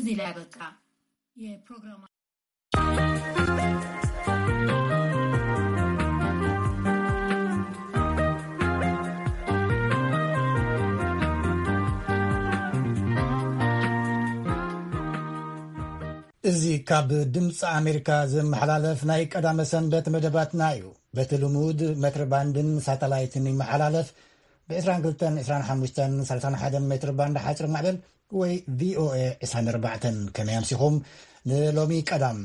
እዚህ ላይ ያበቃ የፕሮግራም እዚ ካብ ድምፂ ኣሜሪካ ዝመሓላለፍ ናይ ቀዳመ ሰንበት መደባትና እዩ። በቲ ልሙድ ሜትር ባንድን ሳተላይትን ይመሓላለፍ። ብ22፣ 25፣ 31 ሜትር ባንድ ሓፂር ማዕበል ወይ ቪኦኤ 24። ከመይ ኣምሲኹም? ንሎሚ ቀዳም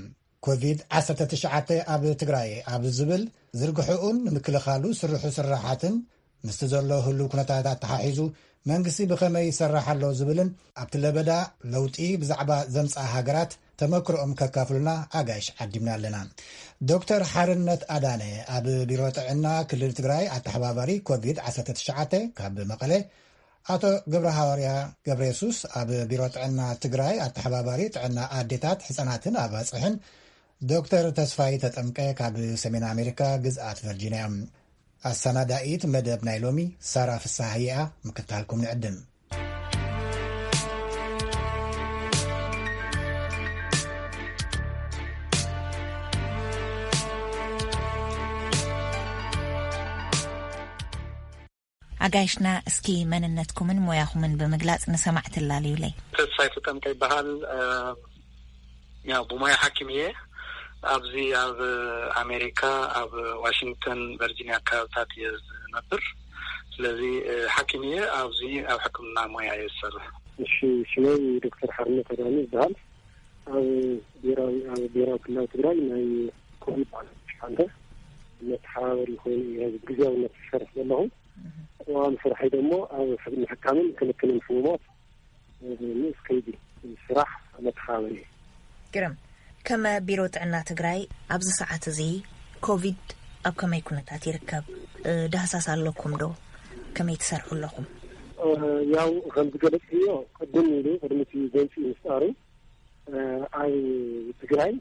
ኮቪድ-19 ኣብ ትግራይ ኣብ ዝብል ዝርግሕኡን ንምክልኻሉ ስርሑ ስራሓትን ምስቲ ዘሎ ህሉ ኩነታት ኣተሓሒዙ መንግስቲ ብኸመይ ይሰራሕ ኣሎ ዝብልን ኣብቲ ለበዳ ለውጢ ብዛዕባ ዘምፅኣ ሃገራት ተመክሮኦም ከካፍሉና ኣጋይሽ ዓዲምና ኣለና። ዶክተር ሓርነት ኣዳነ ኣብ ቢሮ ጥዕና ክልል ትግራይ ኣተሓባባሪ ኮቪድ-19 ካብ መቐለ፣ ኣቶ ገብረ ሃዋርያ ገብረ የሱስ ኣብ ቢሮ ጥዕና ትግራይ ኣተሓባባሪ ጥዕና ኣዴታት፣ ህፃናትን ኣባፅሕን፣ ዶክተር ተስፋይ ተጠምቀ ካብ ሰሜን ኣሜሪካ ግዝኣት ቨርጂንያ እዮም። ኣሰናዳኢት መደብ ናይ ሎሚ ሳራ ፍስሃየኣ ምክታልኩም ንዕድም። ኣጋይሽና እስኪ መንነትኩምን ሞያኹምን ብምግላጽ ንሰማዕቲ ኣላልዩለይ። ተስፋይ ተጠምቀ ይበሃል። ያው ብሞያ ሓኪም እየ። ኣብዚ ኣብ ኣሜሪካ ኣብ ዋሽንግተን ቨርጂኒያ ኣካባብታት እየ ዝነብር። ስለዚ ሓኪም እየ። ኣብዚ ኣብ ሕክምና ሞያ እየ ዝሰርሕ። እሺ፣ ሽመይ ዶክተር ሓርነት ኣዳነ ይበሃል። ኣብ ብሔራዊ ኣብ ብሔራዊ ክልላዊ ትግራይ ናይ ኮቪድ ዓሰርተ መተሓባበሪ ኮይኑ እየ ግዝያውነት ዝሰርሕ ዘለኹ። ዋን ስራሐይ ደሞ ኣብ ምሕካምን ክንክንን ሕሙማት ንኡስ ከይዲ ስራሕ መተሓባበሪ እየ። ግርም። ከም ቢሮ ጥዕና ትግራይ ኣብዚ ሰዓት እዚ ኮቪድ ኣብ ከመይ ኩነታት ይርከብ? ዳህሳስ ኣለኩም ዶ? ከመይ ትሰርሑ ኣለኹም? ያው ከም ዝገለጽክዮ ቅድም ኢሉ ቅድሚ እቲ ጎንፂ ምስጣሩ ኣብ ትግራይ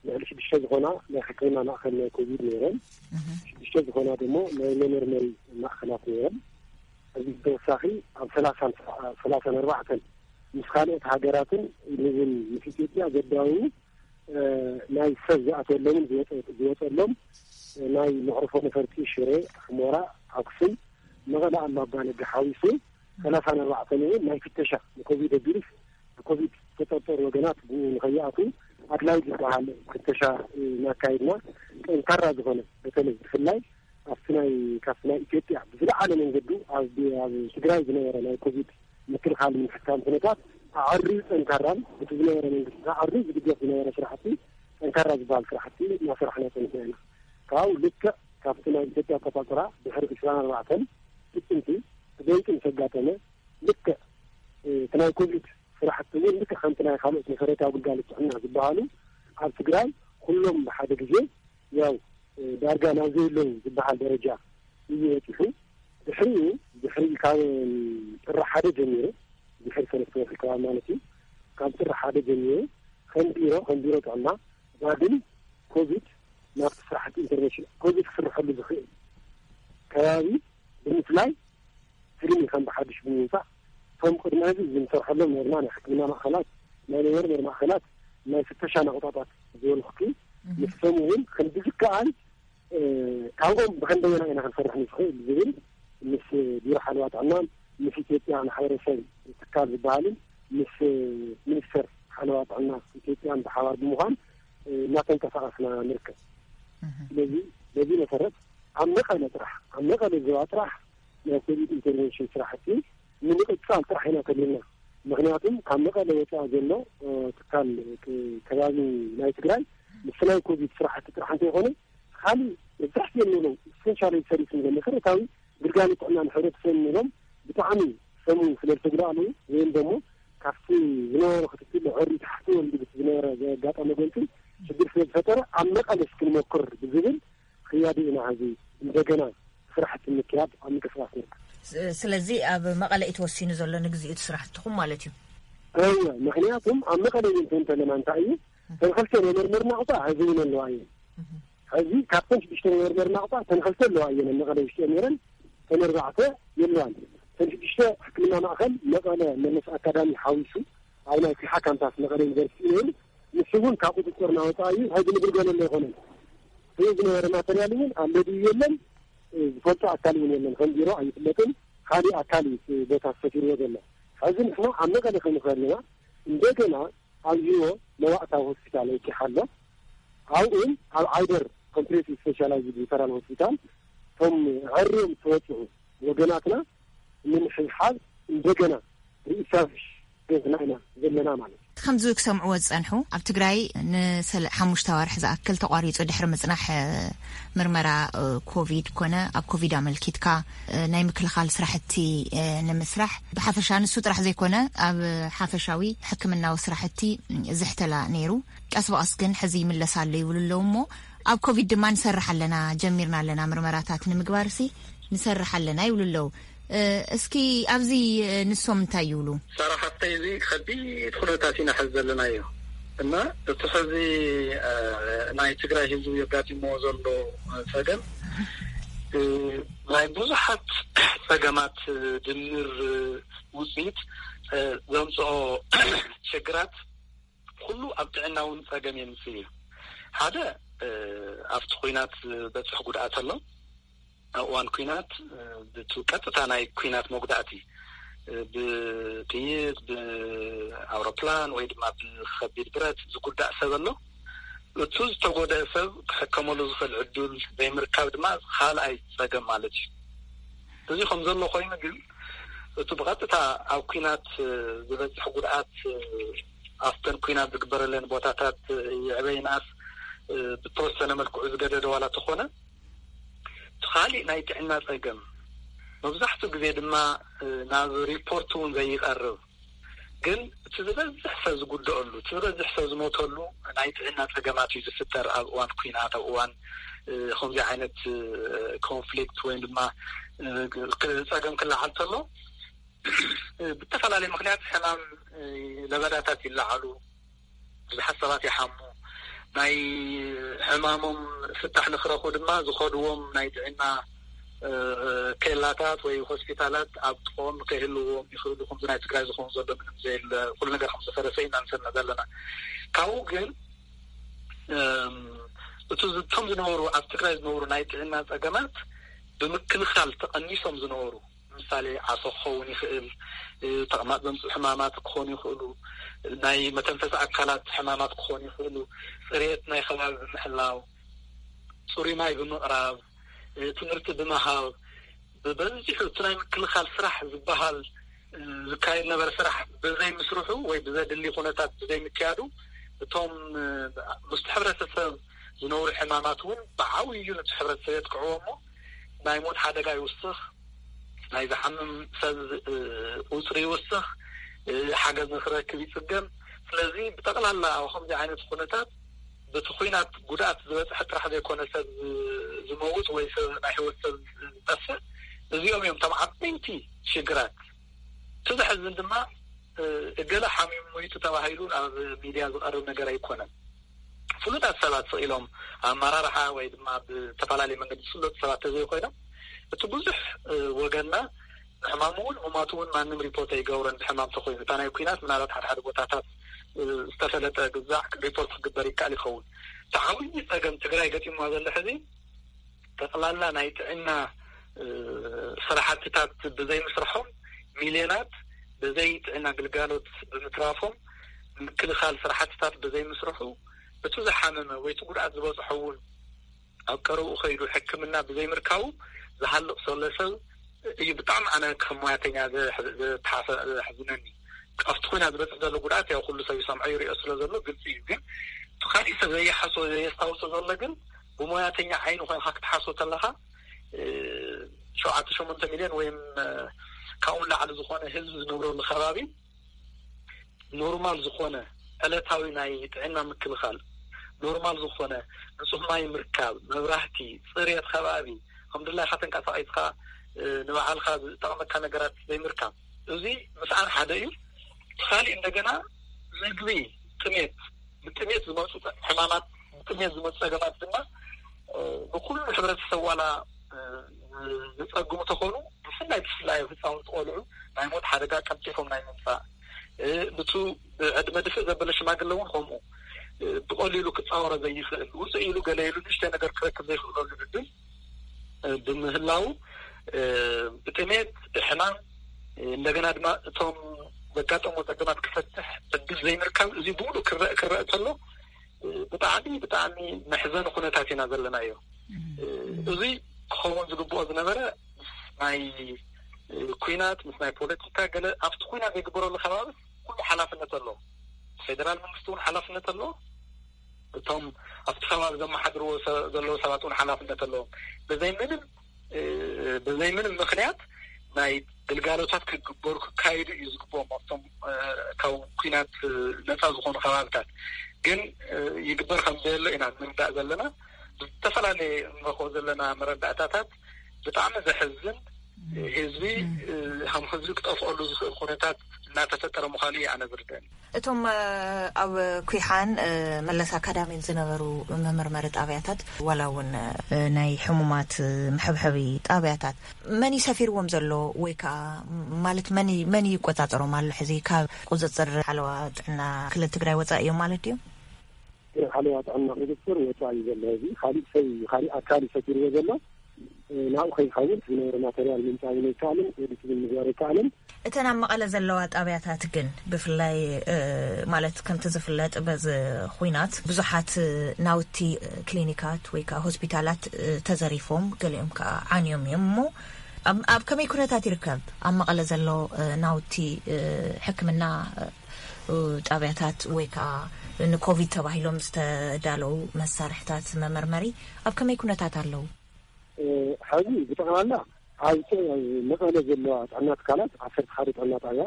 ልዕሊ ሽዱሽተ ዝኾና ናይ ሕክምና ማእኸል ናይ ኮቪድ ነይረን። ሽዱሽተ ዝኾና ደሞ ናይ መመርመሪ ማእኸላት ነይረን። እዚ ተወሳኺ ኣብ ሰላሳን ኣርባዕተን ምስ ካልኦት ሃገራትን ንዝን ምስ ኢትዮጵያ ዘዳውዩ ናይ ሰብ ዝኣተወሎምን ዝወፀሎም ናይ መዕርፎ ነፈርቲ ሽረ፣ ሑመራ፣ ኣክሱም፣ መቐለ፣ ኣላባ፣ ነጋ ሓዊሱ ሰላሳን ኣርባዕተን እውን ናይ ፍተሻ ንኮቪድ ኣቢሉስ ብኮቪድ ዝተጠርጠሩ ወገናት ብኡ ንኸይኣትዉ ኣድላዩ ዝበሃል ፍተሻ እናካየድና ጠንካራ ዝኾነ በተለይ ብፍላይ ኣብቲ ናይ ካብቲ ናይ ኢትዮጵያ ብዝለዓለ መንገዱ ኣብ ኣብ ትግራይ ዝነበረ ናይ ኮቪድ ምክልኻል ምሕካም ኩነታት ኣዐርዩ ጠንካራን እቲ ዝነበረ መንግስቲ ኣዐርዩ ዝድገፍ ዝነበረ ስራሕቲ ጠንካራ ዝበሃል ስራሕቲ እናሰራሕና ፀኒሕና ኢና። ካብኡ ልክዕ ካብቲ ናይ ኢትዮጵያ ኣቆፃፅራ ድሕሪ ዕስራን ኣርባዕተን ጥቅምቲ ብደንቂ ምስ ኣጋጠመ ልክዕ እቲ ናይ ኮቪድ ስራሕቲ እውን ልክዕ ከምቲ ናይ ካልኦት መሰረታዊ ግልጋሎት ጥዕና ዝበሃሉ ኣብ ትግራይ ኩሎም ብሓደ ግዜ ያው ዳርጋ ናብ ዘየለዉ ዝበሃል ደረጃ እዩ በፂሑ። ድሕሪኡ ድሕሪ ካብ ጥሪ ሓደ ጀሚሩ ድሕሪ ሰለስተ ወርሒ ከባቢ ማለት እዩ። ካብ ጥሪ ሓደ ጀሚሩ ከም ቢሮ ከም ቢሮ ጥዕና ዳግም ኮቪድ ናብቲ ስራሕቲ ኢንተርቬንሽን ኮቪድ ክስርሐሉ ዝኽእል ከባቢ ብምፍላይ ትልሚ ከም ብሓድሽ ብምውፃእ እቶም ቅድሚ ሕዚ ዝንሰርሐሎም ነርና ናይ ሕክምና ማእኸላት ናይ መመርመሪ ማእኸላት ናይ ፍተሻ ናቑጣታት ዝበልኩኪ ንሶም እውን ከም ብዝከኣል ካብኦም ብኸንደየና ኢና ክንሰርሕ ንኽእል ዝብል ምስ ቢሮ ሓለዋ ጥዕናን ምስ ኢትዮጵያ ማሕበረሰብ ትካል ዝበሃልን ምስ ሚኒስተር ሓለዋ ጥዕና ኢትዮጵያን ብሓባር ብምዃን እናተንቀሳቐስና ንርከብ። ስለዚ በዚ መሰረት ኣብ መቐለ ጥራሕ ኣብ መቐለ ዞባ ጥራሕ ናይ ኮቪድ ኢንተርቨንሽን ስራሕቲ ንምቕፃል ጥራሕ ኢና ተሊና። ምክንያቱም ካብ መቐለ ወፃኢ ዘሎ ትካል ከባቢ ናይ ትግራይ ምስ ናይ ኮቪድ ስራሕቲ ጥራሕ እንተይኮነ ካሊእ መብዛሕትኦም ንብሎም ኢሰንሻል ሰርቪስ ንብሎም መሰረታዊ ግልጋሎት ጥዕና ንሕብረተሰብ ንብሎም ብጣዕሚ ሰሙ ስለ ዝተጉዳእሉ ወይም ደሞ ካብቲ ዝነበረ ክትትል ዕሪ ታሕቲ ወሪዱ ብቲ ዝነበረ ዘጋጠመ ጎንፂ ሽግር ስለ ዝፈጠረ ኣብ መቐለስ ክንመክር ብዝብል ክያዲ ኢና ሕዚ እንደገና ስራሕቲ ምክያድ ኣብ ምንቅስቃስ ንርከብ። ስለዚ ኣብ መቐለ እዩ ተወሲኑ ዘሎ ንግዚኡ እቲ ስራሕትኹም ማለት እዩ? እወ፣ ምክንያቱም ኣብ መቐለ እዩ እንተ እንተለና እንታይ እዩ ተንኸልተ መመርመሪ ናቑጣ ሕዚ እውን ኣለዋ እየን። ሕዚ ካብተን ሽዱሽተ መመርመሪ ናቑጣ ተንኸልተ ኣለዋ እየን ኣብ መቐለ ውሽጢ ነይረን ተን ኣርባዕተ የለዋን። ተን ሽዱሽተ ሕክምና ማእኸል መቐለ መለስ ኣካዳሚ ሓዊሱ ኣብ ናይ ፊሓ ካምፓስ መቐለ ዩኒቨርሲቲ እዩ ነይሩ። ንሱ እውን ካብ ቁፅፅር ናወፃ እዩ። ሕዚ ንግልገለሉ ኣይኮነን። እዚ ዝነበረ ማተርያል እውን ኣንበቢ የለን፣ ዝፈልጦ ኣካል እውን የለን። ከም ቢሮ ኣይፍለጥን። ካሊእ ኣካል እዩ እቲ ቦታ ዝፈቲርዎ ዘሎ። ሕዚ ንሕና ኣብ መቐለ ክንኽእል ኢና። እንደገና ኣብ ሂዎ መዋእታዊ ሆስፒታል ወኪሓ ኣሎ። ኣብኡን ኣብ ዓይደር ኮምፕሬሲቭ ስፔሻላይዝድ ሪፈራል ሆስፒታል እቶም ዓርዮም ዝተወፅዑ ወገናትና ንምሕዝሓዝ እንደገና ሪኢስታብሊሽ ዜና ኢና ዘለና ማለት እዩ። ከምዚ ክሰምዕዎ ዝጸንሑ፣ ኣብ ትግራይ ንሰለ-፣ ሓሙሽተ ኣዋርሕ ዝኣክል ተቋሪጹ ድሕሪ ምጽናሕ፣ እ፣ ምርመራ፣ እ፣ ኮቪድ ኮነ ኣብ ኮቪድ ኣመልኪትካ፣ እ፣ ናይ ምክልኻል ስራሕቲ፣ እ፣ ንምስራሕ ብሓፈሻ ንሱ ጥራሕ ዘይኮነ ኣብ ሓፈሻዊ ሕክምናዊ ስራሕቲ ዝሕተላ ነይሩ። ቀስ ብቐስ ግን ሕዚ ይምለስ ኣሎ ይብሉ ኣለዉ እሞ ኣብ ኮቪድ ድማ ንሰርሕ ኣለና፣ ጀሚርና ኣለና ምርመራታት ንምግባርሲ ንሰርሕ ኣለና ይብሉ ኣለዉ። እ፣ እስኪ ኣብዚ፣ እ፣ ንሶም እንታይ ይብሉ? ሳራ ሓፍተይ፣ እዚ ከቢድ ኩነታት ኢና ሕዚ ዘለናዮ እና እቲ ሕዚ፣ እ፣ ናይ ትግራይ ህዝቢ የጋጢምዎ ዘሎ ጸገም፣ እ፣ ናይ ብዙሓት ጸገማት ድምር ውጽኢት፣ እ፣ ዘምጽኦ ሽግራት ኩሉ ኣብ ጥዕና እውን ጸገም የምጽእ እዩ። ሓደ፣ እ፣ ኣብቲ ኲናት ዝበጽሕ ጉድኣት ኣሎ። ኣብ እዋን ኲናት፣ እ፣ ብቱ-፣ ቀጥታ ናይ ኲናት መጉዳእቲ፣ እ፣ ብጥይት፣ ብኣውሮፕላን ወይ ድማ ብኸቢድ ብረት ዝጉዳእ ሰብ ኣሎ። እቱ ዝተጎደአ ሰብ ክሕከመሉ ዝኽእል ዕድል ዘይምርካብ ድማ ካልኣይ ጸገም ማለት እዩ። እዚ ከም ዘሎ ኮይኑ ግን፣ እቲ ብቐጥታ ኣብ ኲናት፣ እ፣ ዝበጽሕ ጉድኣት፣ እ፣ ኣብተን ኲናት ዝግበረለን ቦታታት፣ እ፣ ይዕበ ይንኣስ፣ እ፣ ብተወሰነ መልክዑ ዝገደደ ዋላ ተኾነ፣ እቲ ካሊእ ናይ ጥዕና ጸገም መብዛሕትኡ ግዜ ድማ፣ እ፣ ናብ ሪፖርት እውን ዘይቐርብ፣ ግን እቲ ዝበዝሕ ሰብ ዝጉደአሉ፣ እቲ ዝበዝሕ ሰብ ዝሞተሉ ናይ ጥዕና ጸገማት እዩ ዝፍጠር ኣብ እዋን ኲናት፣ ኣብ እዋን፣ እ፣ ከምዚ ዓይነት፣ እ፣ ኮንፍሊክት ወይም ድማ፣ እ፣ ክ-፣ ጸገም ክለዓል ተሎ፣ እ፣ ብተፈላለየ ምኽንያት ሕማም፣ እ፣ ለበዳታት ይለዓሉ፣ ብዙሓት ሰባት ይሓሙ። ናይ ሕማሞም ፍታሕ ንክረኽቡ ድማ ዝኸድዎም ናይ ጥዕና፣ እ፣ ኬላታት ወይ ሆስፒታላት ኣብ ጥቕኦም ከይህልዎም ይኽእሉ። ከምዚ ናይ ትግራይ ዝኾኑ ዘሎ ምንም ዘየለ፣ ኩሉ ነገር ከም ዝፈረሰ ኢና ንሰምዕ ዘለና። ካብኡ ግን፣ እም፣ እቱ ዝ-፣ እቶም ዝነበሩ፣ ኣብ ትግራይ ዝነበሩ ናይ ጥዕና ጸገማት ብምክልኻል ተቐኒሶም ዝነበሩ፣ ምሳሌ ዓሶ ክኸውን ይኽእል፣ እ፣ ተቕማጥ ዘምፅኡ ሕማማት ክኾኑ ይኽእሉ፣ ናይ መተንፈሲ ኣካላት ሕማማት ክኾኑ ይኽእሉ፣ ፅሬት ናይ ከባቢ ብምሕላው፣ ፅሩይ ማይ ብምቕራብ፣ እ፣ ትምህርቲ ብምሃብ፣ ብበዚሑ እቲ ናይ ምክልኻል ስራሕ ዝበሃል፣ እ፣ ዝካየድ ነበረ ስራሕ ብዘይ ምስርሑ ወይ ብዘድሊ ኩነታት ብዘይ ምክያዱ፣ እቶም፣ እ፣ ምስቲ ሕብረተሰብ ዝነብሩ ሕማማት እውን ብዓብዩ ነቲ ሕብረተሰብ የጥቅዕዎ እሞ ናይ ሞት ሓደጋ ይውስኽ፣ ናይ ዝሓምም ሰብ፣ እ፣ ቁፅሪ ይውስኽ፣ እ፣ ሓገዝ ንክረክብ ይፅገም። ስለዚ ብጠቕላላ ኣብ ከምዚ ዓይነት ኩነታት በቲ ኲናት ጉድኣት ዝበፅሐ ጥራሕ ዘይኮነ ሰብ ዝ-፣ ዝመውት ወይ ሰብ ናይ ህይወት ሰብ ዝጠፍእ፣ እዚኦም እዮም እቶም ዓበይቲ ሽግራት። እቲ ዘሕዝን ድማ፣ እ፣ እገለ ሓሚሙ ሞይቱ ተባሂሉ ኣብ ሚድያ ዝቐርብ ነገር ኣይኮነን። ፍሉጣት ሰባት ስቕ ኢሎም ኣመራርሓ ወይ ድማ ብዝተፈላለየ መንገዲ ዝፍለጡ ሰባት ተዘይኮይኖም፣ እቲ ብዙሕ፣ እ፣ ወገንና ንሕማሙ እውን ምማቱ እውን ማንም ሪፖርት ኣይገብሮን። ብሕማም ተኮይኑ እታ ናይ ኩናት ምናልባት ሓደ ሓደ ቦታታት፣ እ፣ ዝተፈለጠ ግዛዕ ሪፖርት ክግበር ይከኣል ይኸውን። እቲ ዓብዪ ጸገም ትግራይ ገጢምዋ ዘሎ ሕዚ ጠቕላላ ናይ ጥዕና፣ እ፣ ስራሕትታት ብዘይምስርሖም፣ ሚልዮናት ብዘይ ጥዕና ግልጋሎት ብምትራፎም፣ ምክልኻል ስራሕትታት ብዘይምስርሑ፣ እቲ ዝሓመመ ወይ እቲ ጉድኣት ዝበፅሖ እውን ኣብ ቀረብኡ ከይዱ ሕክምና ብዘይምርካቡ ዝሃልቕ ዘሎ ሰብ እዩ ብጣዕሚ ኣነ ከም ሞያተኛ ዘሕ-፣ ዘተሓፈ-፣ ዘሕዝነኒ። ኣብቲ ኩናት ዝበፅሕ ዘሎ ጉድኣት ያው ኩሉ ሰብ ይሰምዖ ይሪኦ ስለ ዘሎ ግልፂ እዩ። ግን እቲ ካሊእ ሰብ ዘየሓስቦ ዘየስታውሶ ዘሎ ግን ብሞያተኛ ዓይኒ ኮይንካ ክትሓስቦ ተለካ፣ እ፣ ሸውዓተ ሸሞንተ ሚልዮን ወይም፣ እ፣ ካብኡ ንላዕሊ ዝኾነ ህዝቢ ዝነብረሉ ከባቢ ኖርማል ዝኾነ ዕለታዊ ናይ ጥዕና ምክልኻል፣ ኖርማል ዝኾነ ንጹህ ማይ ምርካብ፣ መብራህቲ፣ ጽሬት ከባቢ፣ ከም ድላይካ ተንቀሳቒስካ፣ እ፣ ንባዕልካ ዝጠቕመካ ነገራት ዘይምርካብ፣ እዚ ምስኣን ሓደ እዩ። እቲ ካሊእ እንደገና ምግቢ፣ ጥሜት፣ ብጥሜት ዝመጹ ጸ-፣ ሕማማት፣ ብጥሜት ዝመጹ ጸገማት ድማ፣ እ፣ ንኹሉ ሕብረተሰብ ዋላ፣ እ፣ ዝጸግሙ ተኾኑ፣ ብፍላይ፣ ብፍላይ ኣብ ህጻውንቲ ቆልዑ ናይ ሞት ሓደጋ ቀልጢፎም ናይ ምምጻእ፣ እ፣ ንቱ ብዕድመ ድፍእ ዘበለ ሽማግለ እውን ከምኡ፣ እ፣ ብቐሊሉ ክጻወሮ ዘይኽእል፣ ውፅእ ኢሉ ገለ ኢሉ ንእሽተይ ነገር ክረክብ ዘይኽእለሉ ዕድል፣ እ፣ ብምህላው፣ እ፣ ብጥሜት፣ ብሕማም፣ እ፣ እንደገና ድማ እቶም ዘጋጠሙ ጸገማት ክፈትሕ ዕድል ዘይምርካብ፣ እዚ ብሙሉእ ክረእ፣ ክረእ ከሎ፣ እ፣ ብጣዕሚ፣ ብጣዕሚ መሕዘኒ ኩነታት ኢና ዘለናዮ። እ፣ እዚ ክኸውን ዝግብኦ ዝነበረ ምስ ናይ፣ እ፣ ኩናት፣ ምስ ናይ ፖለቲካ ገለ ኣብቲ ኩናት ዘይግበረሉ ከባቢ ኩሉ ሓላፍነት ኣለዎ። ፌደራል መንግስቲ እውን ሓላፍነት ኣለዎ። እቶም ኣብቲ ከባቢ ዘመሓድርዎ ሰ-፣ ዘለዉ ሰባት እውን ሓላፍነት ኣለዎም። በዘይ ምንም፣ እ፣ በዘይ ምንም ምኽንያት ናይ ግልጋሎታት ክግበሩ ክካየዱ እዩ ዝግብኦም ኣብቶም፣ እ፣ ካብ ኩናት፣ እ፣ ነፃ ዝኾኑ ከባብታት። ግን፣ እ፣ ይግበር ከም ዘየሎ ኢና ንርዳእ ዘለና። ዝተፈላለየ እንረኽቦ ዘለና መረዳእታታት ብጣዕሚ ዘሕዝን፣ ህዝቢ፣ እ፣ ከም ህዝቢ ክጠፍኣሉ ዝኽእል ኩነታት እናተፈጠረ ምዃኑ እዩ ኣነ ዝርደኒ። እቶም፣ እ፣ ኣብ ኩሓን፣ እ፣ መለስ ኣካዳሚን ዝነበሩ መመርመሪ ጣብያታት ዋላ እውን፣ እ፣ ናይ ሕሙማት፣ እ፣ መሐብሐቢ ጣብያታት መን እዩ ሰፊርዎም ዘሎ ወይ ከዓ ማለት መን እዩ፣ መን እዩ ይቆጻጸሮም ኣሎ? ሕዚ ካብ ቁጽጽር ሓለዋ ጥዕና ክልል ትግራይ ወጻኢ እዮም ማለት ድዮም? ሓለዋ ጥዕና ቁጽጽር ወጻኢ ዘሎ እዚ ካሊእ ሰብ እዩ፣ ካሊእ ኣካል እዩ ሰፊርዎ ዘሎ። እ፣ ናብኡ ከይኸውን ዝነበረ ማተርያል ምምጻእ እውን ኣይከኣልን፣ ኤዲት እውን ምግባር ኣይከኣልን። እተን ኣብ መቐለ ዘለዋ ጣብያታት ግን ብፍላይ፣ እ፣ ማለት ከምቲ ዝፍለጥ በዚ ኹናት ብዙሓት፣ እ፣ ናውቲ፣ እ፣ ክሊኒካት ወይ ከዓ ሆስፒታላት፣ እ፣ ተዘሪፎም፣ ገሊኦም ከዓ ዓንዮም እዮም። እሞ ኣብ፣ ኣብ ከመይ ኩነታት ይርከብ ኣብ መቐለ ዘሎ፣ እ፣ ናውቲ፣ እ፣ ሕክምና፣ እ፣ ጣብያታት ወይ ከዓ ንኮቪድ ተባሂሎም ዝተዳለዉ መሳርሕታት መመርመሪ ኣብ ከመይ ኩነታት ኣለዉ? እ፣ ሕዚ ብጠቕላላ ኣብ ጥ-፣ መቐለ ዘለዋ ጥዕና ትካላት ዓሰርተ ሓደ ጥዕና ጣብያ፣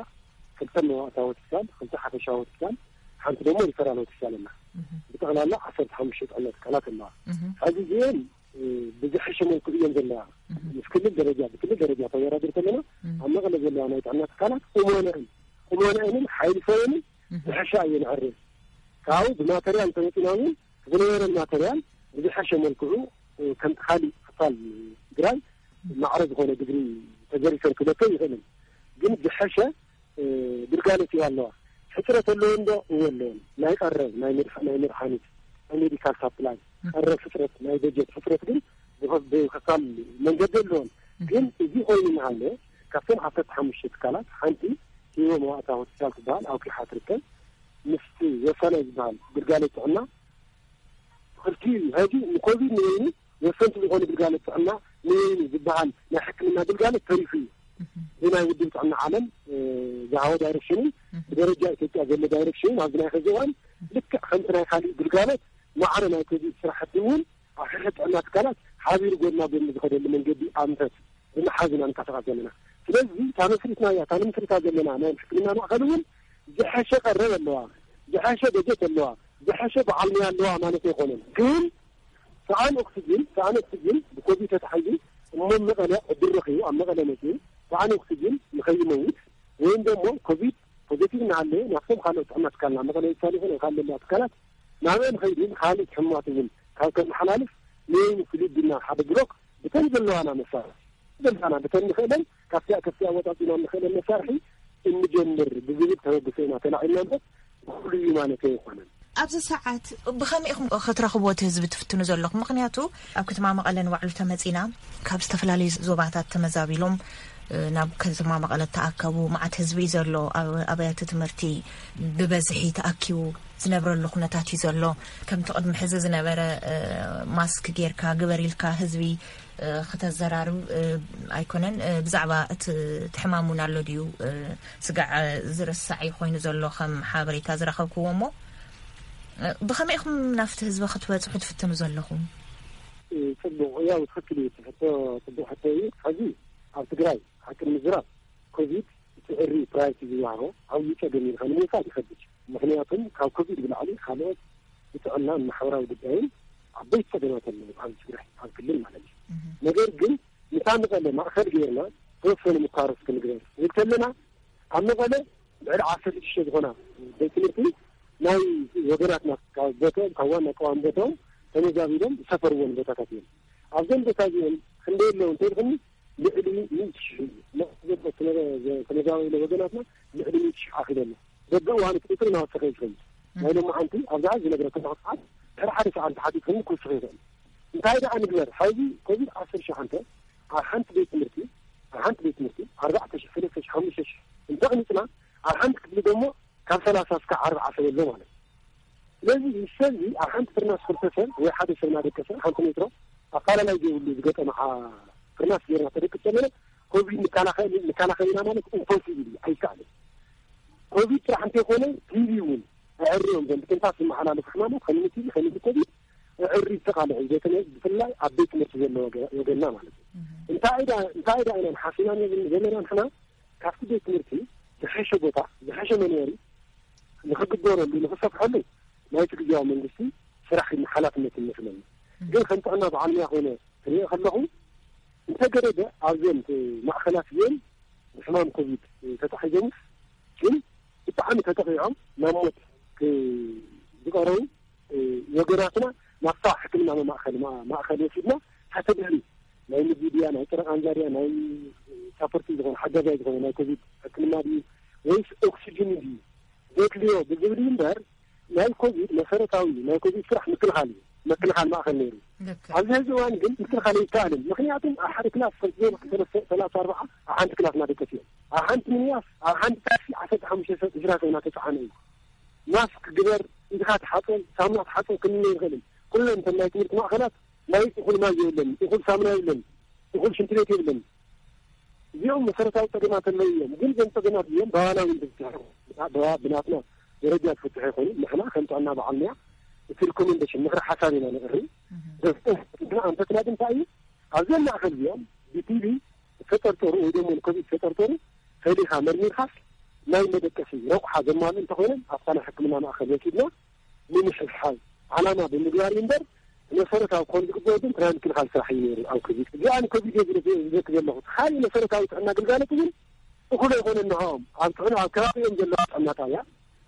ክልተ መዋእታዊ ሆስፒታል፣ ክልተ ሓፈሻዊ ሆስፒታል፣ ሓንቲ ደግሞ ሪፈራል ሆስፒታል ኣላ። እህ፣ ብጠቕላላ ዓሰርተ ሓሙሽተ ጥዕና ትካላት ኣለዋ። እህ፣ ሕዚ እዚአን፣ እ፣ ብዝሐሸ መልክዑ እየን ዘለዋ። እህ፣ ምስ ክልል ደረጃ፣ ብክልል ደረጃ ተወዳድር ከለና፣ እህ፣ ኣብ መቐለ ዘለዋ ናይ ጥዕና ትካላት ቁመነአን፣ ቁመነአንን ሓይሊ ሰበንን እህ፣ ዝሐሻ እየን። ዕርፍ ካብኡ ብማተርያል ተመፂና እውን ዝነበረ ማተርያል ብዝሐሸ መልክዑ፣ እ፣ ከምቲ ካሊእ ክፋል ትግራይ ማዕረ ዝኾነ ግብሪ ተዘሪፈን ክብለከ ይኽእልን። ግን ዝሐሸ፣ እ፣ ግልጋሎት ይሃለዋ። ሕፅረት ኣለወን ዶ? እወ ኣለወን። ናይ ቀረብ፣ ናይ መድሓ-፣ ናይ መድሓኒት፣ ናይ ሜዲካል ሳፕላይ፣ ቀረብ ሕፅረት፣ ናይ በጀት ሕፅረት ግን ብኸ-፣ ብኸፋል መንገዲ ኣለወን። ግን እዚ ኮይኑ እናሃለ፣ ካብተን ዓሰርተ ሓሙሽተ ትካላት ሓንቲ ህይወ መዋእታ ሆስፒታል ትበሃል ኣብ ኪሓ ትርከብ። ምስቲ ወሳናይ ዝበሃል ግልጋሎት ጥዕና ክልቲኡ እዩ። ሕዚ ንኮቪድ ንበይኑ ወሰንቲ ዝኾኑ ግልጋሎት ጥዕና ንበይኑ ዝበሃል ናይ ሕክምና ግልጋሎት ተሪፉ እዩ። ብናይ ውድብ ጥዕና ዓለም፣ እ፣ ዝሃቦ ዳይሬክሽንን ብደረጃ ኢትዮጵያ ዘሎ ዳይሬክሽንን ኣብዚ ናይ ሕዚ እዋን ልክዕ ከምቲ ናይ ካሊእ ግልጋሎት ማዕረ ናይ ኮቪድ ስራሕቲ እውን ኣብ ሕሕድ ጥዕና ትካላት ሓቢሩ ጎድና ጎድኒ ዝኸደሉ መንገዲ ኣንፈት ብምሓዝ ኢና ንንቀሳቐስ ዘለና። ስለዚ እታ መስሪትናያ፣ እታ ንምስርታ ዘለና ናይ ሕክምና ማእኸል እውን ዝሐሸ ቀረብ ኣለዋ፣ ዝሐሸ በጀት ኣለዋ፣ ዝሐሸ በዓል ሞያ ኣለዋ ማለት ኣይኮነን። ግን ሰኣን ኦክስጅን፣ ሰኣን ኦክስጅን ብኮቪድ ተታሒዙ እሞ መቐለ ዕድል ረኺቡ ኣብ መቐለ መፂኡ ሰኣን ኦክስጅን ንኸይመውት ወይም ደግሞ ኮቪድ ፖዘቲቭ እናሃለየ ናብቶም ካልኦት ጥዕና ትካልና መቐለ ይሳል ይኹን ካልእ ዘለዋ ትካላት ናብአን ኸይዱ ንካልእ ሕሙማት እውን ካብ ከመሓላልፍ ንወይኒ ፍሉይ ቢልና ሓደ ብሎክ ብተን ዘለዋና መሳርሒ ዘለዋና ብተን ንኽእለን ካብቲኣ ከፍቲኣ ወፃፂና ንኽእለን መሳርሒ እንጀምር ብዝብል ተበግሶ ኢና ተላዒልና እምበር ኩሉ እዩ ማለት ኣይኮነን። ኣብዚ ሰዓት ብኸመይ ኢኹም ክትረኽብዎ እቲ ህዝቢ ትፍትኑ ዘለኹም? ምኽንያቱ ኣብ ከተማ መቐለ ንባዕሉ ተመፂና ካብ ዝተፈላለዩ ዞባታት ተመዛቢሎም ናብ ከተማ መቐለ ተኣከቡ መዓት ህዝቢ እዩ ዘሎ። ኣብ ኣብያተ ትምህርቲ ብበዝሒ ተኣኪቡ ዝነብረሉ ኩነታት እዩ ዘሎ። ከምቲ ቅድሚ ሕዚ ዝነበረ ማስክ ጌርካ ግበር ኢልካ ህዝቢ ክተዘራርብ ኣይኮነን። ብዛዕባ እቲ ሕማም እውን ኣሎ ድዩ ስጋዕ ዝርሳዕ እዩ ኮይኑ ዘሎ ከም ሓበሬታ ዝረኸብክዎ። እሞ ብኸመይ ኢኹም ናብቲ ህዝቢ ክትበፅሑ ትፍትኑ ዘለኹም? ፅቡቕ፣ ያው ትኽክል እዩ። እቲ ሕቶ ፅቡቕ ሕቶ እዩ። ሕዚ ኣብ ትግራይ ሓቂ ንምዝራብ ኮቪድ እቲ ዕሪ ፕራዮሪቲ ዝወሃቦ ዓብዪ ፀገም እዩ ኢልካ ንምውሳድ ይኸብድ። ምኽንያቱም ካብ ኮቪድ ብላዕሊ ካልኦት ብጥዕናን ማሕበራዊ ጉዳይን ዓበይቲ ፀገማት ኣለዉ ኣብ ትግራይ ኣብ ክልል ማለት እዩ። ነገር ግን ንሳ መቐለ ማእኸል ገይርና ተወሰኑ ምኳሮስ ክንግበር ንብል ከለና ኣብ መቐለ ልዕሊ ዓሰርተ ሽዱሽተ ዝኾና ቤት ትምህርቲ ናይ ወገናትና ካብ ቦትኦም ካብ ዋና ቀዋሚ ቦትኦም ተመዛቢሎም ዝሰፈርዎን ቦታታት እዮም። ኣብዞም ቦታ እዚኦም ክንደይ ኣለዉ እንተልኩኒ ልዕሊ ሚእቲ ሽሕ እዩ። ተመዛበለ ወገናትና ልዕሊ ሚእቲ ሽሕ ኣኺሉ ኣሎ። በብእዋኑ እቲ ቁፅሪ እናወሰኸ እዩ ዝኸይድ። ናይ ሎማዓንቲ ኣብዛ ዝነግረካ ዘለኹ ሰዓት ድሕሪ ሓደ ሰዓት ተሓቲትኩም ክውስኽ ይኽእል። እንታይ ደኣ ንግበር? ሕዚ ኮቪድ ዓሰርተ ሸውዓተ ኣብ ሓንቲ ቤት ትምህርቲ፣ ኣብ ሓንቲ ቤት ትምህርቲ ኣርባዕተ ሺሕ፣ ሰለስተ ሺሕ፣ ሓሙሽተ ሺሕ እንተቕኒፅና፣ ኣብ ሓንቲ ክፍሊ ደሞ ካብ ሰላሳ እስካብ ኣርብዓ ሰብ ኣሎ ማለት እዩ። ስለዚ እዚ ሰብ እዚ ኣብ ሓንቲ ፍርናስ ክልተ ሰብ ወይ ሓደ ሰብ እናደቀሰ ሓንቲ ሜትሮ ኣፋላላይ ዘይብሉ ዝገጠመ ሓ-፣ ፍርናስ ጌርና ተደቅስ ዘለና ኮቪድ ንከላኸል፣ ንከላኸል ኢና ማለት ኢምፖሲብል እዩ፣ ኣይከኣልን። ኮቪድ ጥራሕ እንተይኮነ ቲቪ እውን ኣዕርዮም ዘም ብትንፋስ ዝመሓላለፉ ሕማማት ከም ቲቪ ከም ኮቪድ ኣዕሪ ተቃልዑ፣ በተለይ ብፍላይ ኣብ ቤት ትምህርቲ ዘሎ ወገ-፣ ወገንና ማለት እዩ። እንታይ ኢዳ፣ እንታይ ኢዳ ኢና ሓሲና ዘለና ንሕና ካብቲ ቤት ትምህርቲ ዝሐሸ ቦታ፣ ዝሐሸ መንበሪ ንኽግበረሉ፣ ንኽሰፍሐሉ ናይቲ ግዜያዊ መንግስቲ ስራሕ ሓላፍነት ይመስለኒ። ግን ከም ጥዕና በዓል ሙያ ኮይነ ክሪኦ ከለኹ እንተገደደ ኣብዘን ማእኸላት እዚአን ብሕማም ኮቪድ ተታሒዞምስ ግን ብጣዕሚ ተጠቒዖም ናብ ሞት ክ-፣ ዝቐረቡ ወገናትና ናብታ ሕክምና ማእኸል፣ ማ-፣ ማእኸል ወሲድና ተተደልዩ ናይ ምዚ ድያ፣ ናይ ጥረ ቃንዛ ድያ፣ ናይ ሳፖርት ዝኾነ ሓጋዛይ ዝኾነ ናይ ኮቪድ ሕክምና ድዩ ወይስ ኦክሲጅን ድዩ ዘድልዮ ብዝብል እዩ እምበር ናይ ኮቪድ መሰረታዊ ናይ ኮቪድ ስራሕ ምክልኻል እዩ። ምክልኻል ማእኸል ነይሩ። ልክዕ። ኣብዚ ሕዚ እዋን ግን ምክልኻል ኣይከኣልን። ምክንያቱም ኣብ ሓደ ክላስ ከም ዝበልኩ ሰለስተ፣ ሰላሳ፣ ኣርባዓ ኣብ ሓንቲ ክላስ እናደቀሱ እዮም። ኣብ ሓንቲ ሚኒባስ፣ ኣብ ሓንቲ ታክሲ ዓሰርተ ሓሙሽተ ሰብ፣ ዕስራ ሰብ እናተፀዓነ እዩ። ማስክ ግበር፣ ኢድካ ተሓፀብ፣ ሳሙና ተሓፀብ ክንብል ኣይንኽእልን። ኩለን እተን ናይ ትምህርቲ ማእኸላት ናይ እኹል ማይ የብለን፣ እኹል ሳሙና የብለን፣ እኹል ሽንቲ ቤት የብለን። እዚኦም መሰረታዊ ፀገማት ኣለዉ እዮም። ግን እዞም ፀገማት እዚኦም ባህላዊ እንትፍትሑ፣ ብናትና ደረጃ ዝፍትሑ ይኾኑ። ንሕና ከም ጥዕና በዓል ሙያ እቲ ሪኮሜንዴሽን ምኽሪ ሓሳብ ኢና ነቕርብ። ንሕና ኣንፈትና ግን እንታይ እዩ? ኣብዘን ማእኸል እዚኦም ብቲቪ ዝተጠርጠሩ ወይ ደሞ ንኮቪድ ዝተጠርጠሩ ፈሊኻ መርሚርካስ ናይ መደቀሲ ረቑሓ ዘማልኡ እንተኾይኖም ኣብታ ናይ ሕክምና ማእኸል ወሲድና ንምሕብሓብ ዓላማ ብምግባር እዩ እምበር መሰረታዊ ክኾኑ ዝግበኦ ግን ናይ ምክልኻል ስራሕ እዩ ነይሩ ኣብ ኮቪድ። እዚኣ ንኮቪድ እየ ዝረ-፣ ዝዘክር ዘለኹ። እቲ ካሊእ መሰረታዊ ጥዕና ግልጋሎት ግን እኹል ኣይኮነን። ንዕኦም ኣብ ጥዕና፣ ኣብ ከባቢኦም ዘለዋ ጥዕና ጣብያ፣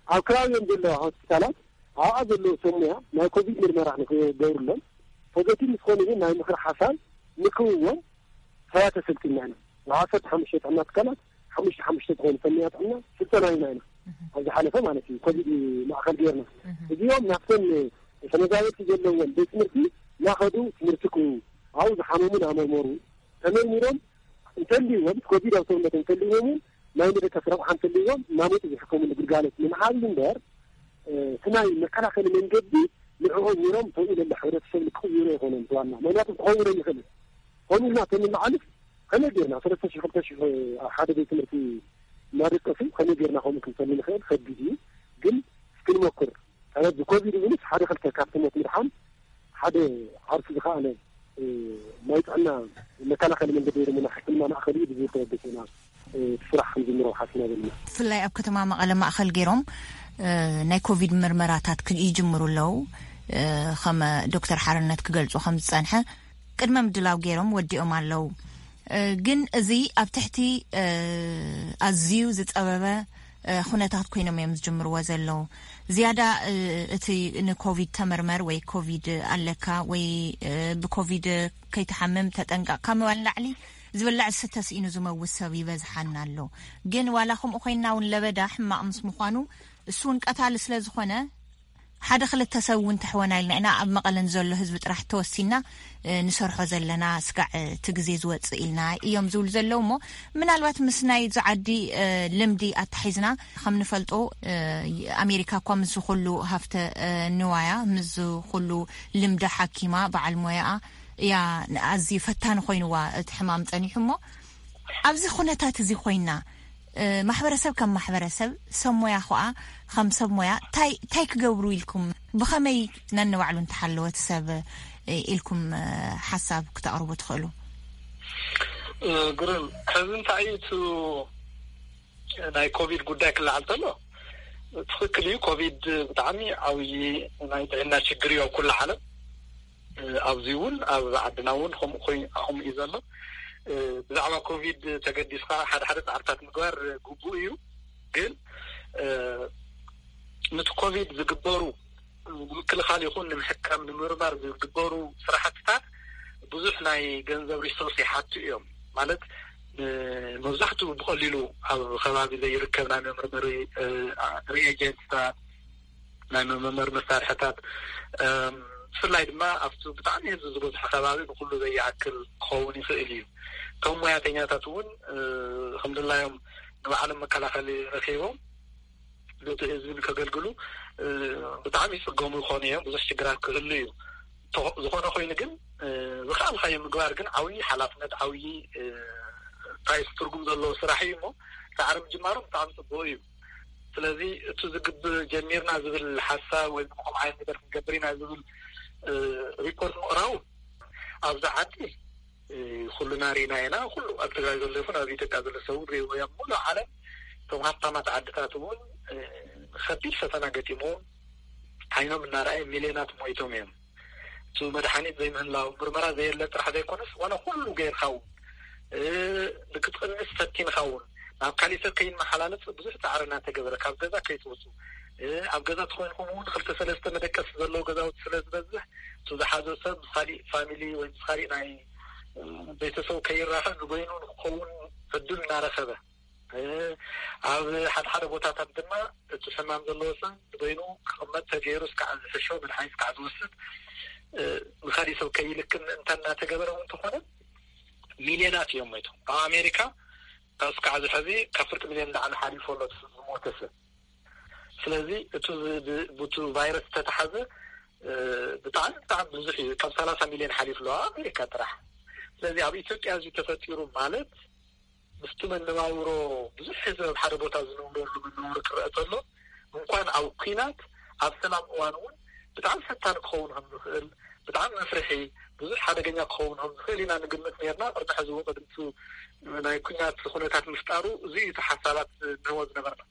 ኣብ ከባቢኦም ዘለዋ ሆስፒታላት፣ ኣብኣ ዘለዉ ሰብ ሞያ ናይ ኮቪድ ምርመራ ንክገብሩሎም፣ ፖዘቲቭ ምስ ኮኑ ግን ናይ ምኽሪ ሓሳብ ንክህብዎም ሰባተ ሰልጢና ኢና። ንዓሰርተ ሓሙሽተ ጥዕና ትካላት ሓሙሽተ ሓሙሽተ ዝኾኑ ፈንያ ጥዕና ስልጠና ሂብና ኢና። ኣብ ዝሓለፈ ማለት እዩ፣ ኮቪድ ማእኸል ጌርና። እዚኦም ናብተን ተመዛበልቲ ዘለዎም ቤት ትምህርቲ እናኸዱ ትምህርቲ ክህቡ፣ ኣብኡ ዝሓመሙ እናመርመሩ፣ ተመርሚሮም እንተልይዎም፣ ኮቪድ ኣብ ሰውነቶም እንተልይዎም እውን ናይ መደቀሲ ረቑሓ እንተልይዎም እናመፁ ዝሕከሙሉ ግልጋሎት ንምሃብ እዩ እምበር፣ እ፣ እቲ ናይ መከላኸሊ መንገዲ ንዕኦም ኔሮም ተብኡ ለለ ሕብረተሰብ ንክቕይሩ ኣይኮነን እቲ ዋና። ምክንያቱ ክኸውን ኣይኽእልን። ከምኡ ኢልና ተንለዓልስ ከመይ ጌርና ሰለስተ ሽሕ ክልተ ሽሕ ኣብ ሓደ ቤት ትምህርቲ እናደቀሱ ከመይ ጌርና ከምኡ ክንሰሊ ንኽእል ከቢድ እዩ። ግን እስኪ ንሞክር። ብኮቪድ እውንስ ሓደ ክልተ ካብቲ ሞት ምድሓን ሓደ ዓርሱ ዝኸኣለ፣ እ፣ ናይ ጥዕና መከላኸሊ መንገዲ ወይ ድማ ናይ ሕክምና ማእኸል እዩ ብዝብል ተበገሰ ኢና፣ እ፣ እቲ ስራሕ ክንጅምሮ ሓሲና ዘለና። ብፍላይ ኣብ ከተማ መቐለ ማእኸል ገይሮም፣ እ፣ ናይ ኮቪድ ምርመራታት ክን-፣ ይጅምሩ ኣለዉ። እ፣ ከም ዶክተር ሓርነት ክገልጹ ከም ዝጸንሐ ቅድመ ምድላው ገይሮም ወዲኦም ኣለዉ። እ፣ ግን እዚ ኣብ ትሕቲ፣ እ፣ ኣዝዩ ዝጸበበ፣ እ፣ ኩነታት ኮይኖም እዮም ዝጅምርዎ ዘለዉ። ዝያዳ፣ እ፣ እቲ ንኮቪድ ተመርመር ወይ ኮቪድ ኣለካ ወይ፣ እ፣ ብኮቪድ ከይትሓምም ተጠንቀቕካ ምባል ንላዕሊ ዝብላዕ ዝስተ ስኢኑ ዝመውት ሰብ ይበዝሓና ኣሎ። ግን ዋላ ከምኡ ኮይንና እውን ለበዳ ሕማቕ ምስ ምዃኑ እሱ እውን ቀታሊ ስለ ዝኾነ ሓደ ክልተ ሰብ እውን ተሕወና ኢልና ኢና ኣብ መቐለን ዘሎ ህዝቢ ጥራሕ ተወሲና፣ እ፣ ንሰርሖ ዘለና ስጋዕ፣ እ፣ እቲ ግዜ ዝወፅእ ኢልና እዮም ዝብሉ ዘለዉ። እሞ ምናልባት ምስ ናይ እዚ ዓዲ፣ እ፣ ልምዲ ኣታሒዝና ከም ንፈልጦ፣ እ፣ ኣሜሪካ እኳ ምስ ዝኹሉ ሃፍተ፣ እ፣ ንዋያ፣ ምስ ዝኹሉ ልምዲ ሓኪማ በዓል ሞያኣ እያ ኣዝዩ ፈታኒ ኮይንዋ እቲ ሕማም ጸኒሑ። እሞ ኣብዚ ኩነታት እዚ ኮይና፣ እ፣ ማሕበረሰብ ከም ማሕበረሰብ፣ ሰብ ሞያ ኸዓ ከም ሰብ ሞያ፣ ታይ፣ ታይ ክገብሩ ኢልኩም፣ ብኸመይ ነንባዕሉ እንተሓለወ እቲ ሰብ፣ እ፣ ኢልኩም፣ እ፣ ሓሳብ ክተቕርቡ ትኽእሉ? እ፣ ግሩም። ሕዚ እንታይ እዩ እቲ ናይ ኮቪድ ጉዳይ ክለዓል ተሎ፣ ትኽክል እዩ። ኮቪድ ብጣዕሚ ዓብዪ ናይ ጥዕና ችግር እዩ ኣብ ኩሉ ዓለም። እ፣ ኣብዚ እውን ኣብ ዓድና እውን ከምኡ ኮይኑ፣ ከምኡ እዩ ዘሎ። እ፣ ብዛዕባ ኮቪድ ተገዲስካ ሓደ ሓደ ጻዕርታት ምግባር ግቡእ እዩ። ግን፣ እ፣ ነቲ ኮቪድ ዝግበሩ ንምክልኻል ይኹን ንምሕካም፣ ንምርማር ዝግበሩ ስራሕትታት ብዙሕ ናይ ገንዘብ ሪሶርስ ይሓቱ እዮም። ማለት መብዛሕትኡ ብቐሊሉ ኣብ ከባቢ ዘይርከብ ናይ መመርመሪ ሪኤጀንትታት፣ ናይ መመርመሪ መሳርሕታት፣ ብፍላይ ድማ ኣብቲ ብጣዕሚ ህዝቢ ዝበዝሖ ከባቢ ንኩሉ ዘይኣክል ክኸውን ይኽእል እዩ። እቶም ሞያተኛታት እውን ከምድላዮም ንባዕሎም መከላኸሊ ረኪቦም ነቲ ህዝቢ ንከገልግሉ ብጣዕሚ ይፅገሙ ይኾኑ እዮም። ብዙሕ ሽግራት ክህሉ እዩ። ዝኾነ ኮይኑ ግን ዝኸኣልካዮ ምግባር ግን ዓብዪ ሓላፍነት፣ ዓብዪ እንታይ ትርጉም ዘለዎ ስራሕ እዩ። እሞ ፃዕሪ ምጅማሩ ብጣዕሚ ፅቡቅ እዩ። ስለዚ እቲ ዝግብ ጀሚርና ዝብል ሓሳብ ወይ ከምኡ ዓይነት ነገር ክንገብር ኢና ዝብል ሪፖርት ምቕራቡ ኣብዚ ዓዲ ኩልና ርኢና ኢና። ኩሉ ኣብ ትግራይ ዘሎ ይኹን ኣብ ኢትዮጵያ ዘሎ ሰብ እውን ሪእዎ እዮም። ሙሉእ ዓለም እቶም ሃብታማት ዓድታት እውን ከቢድ ፈተና ገጢሞም ዓይኖም እናረኣየ ሚልዮናት ሞይቶም እዮም። እቲ መድሓኒት ዘይምህላው፣ ምርመራ ዘየለ ጥራሕ ዘይኮነስ ዋላ ኩሉ ገይርካ እውን ንክትቕንስ ፈቲንካ እውን ናብ ካሊእ ሰብ ከይመሓላለፍ ብዙሕ ፃዕሪ እናተገበረ ካብ ገዛ ከይትወፁ ኣብ ገዛ ተኮይንኩም እውን ክልተ ሰለስተ መደቀሲ ዘለዎ ገዛውቲ ስለ ዝበዝሕ እቲ ዝሓዞ ሰብ ምስ ካሊእ ፋሚሊ ወይ ምስ ካሊእ ናይ ቤተሰብ ከይራኸብ ንበይኑ ንክኸውን ዕድል እናረኸበ ኣብ ሓደ ሓደ ቦታታት ድማ እቲ ሕማም ዘለዎ ሰብ ንበይኑ ክቕመጥ ተገይሩ እስካዕ ዝሕሾ መድሓኒት እስካዕ ዝወስድ ንካሊእ ሰብ ከይልክም ምእንታ እናተገበረ እውን ተኾነ ሚልዮናት እዮም ሞይቶም። ኣብ ኣሜሪካ እስካዕ ዝሐዚ ካብ ፍርቂ ሚልዮን ላዕሊ ሓሊፎ ኣሎ ዝሞተ ሰብ። ስለዚ እቲ ብቱ ቫይረስ ዝተተሓዘ ብጣዕሚ ብጣዕሚ ብዙሕ እዩ። ካብ ሰላሳ ሚልዮን ሓሊፍ ኣለዋ ኣሜሪካ ጥራሕ። ስለዚ ኣብ ኢትዮጵያ እዚ ተፈጢሩ ማለት ምስቲ መነባብሮ ብዙሕ ህዝቢ ኣብ ሓደ ቦታ ዝነብረሉ መነባብሮ ክረአ ተሎ እንኳን ኣብ ኲናት ኣብ ሰላም እዋን እውን ብጣዕሚ ፈታኒ ክኸውን ከም ዝኽእል ብጣዕሚ መፍርሒ ብዙሕ ሓደገኛ ክኸውን ከም ዝኽእል ኢና ንግምት ነርና። ቅድሚ ሕዚ እውን ቅድምቲ ናይ ኲናት ኩነታት ምፍጣሩ እዚ እዩ እቲ ሓሳባት ንህቦ ዝነበርና።